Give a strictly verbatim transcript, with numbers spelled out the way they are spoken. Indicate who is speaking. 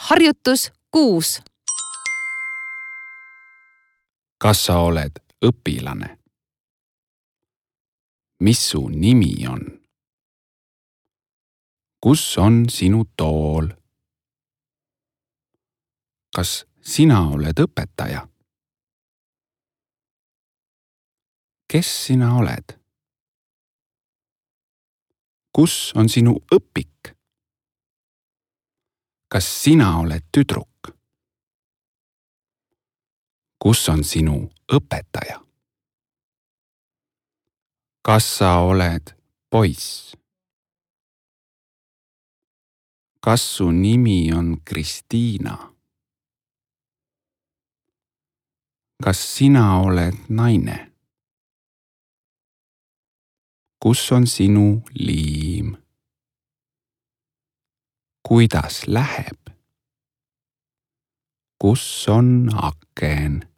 Speaker 1: Harjutus kuus.
Speaker 2: Kas sa oled õpilane? Mis su nimi on? Kus on sinu tool? Kas sina oled õpetaja? Kes sina oled? Kus on sinu õpik? Kas sina oled tüdruk? Kus on sinu õpetaja? Kas sa oled poiss? Kas su nimi on Kristiina? Kas sina oled naine? Kus on sinu liim? Kuidas läheb? Kus on aken?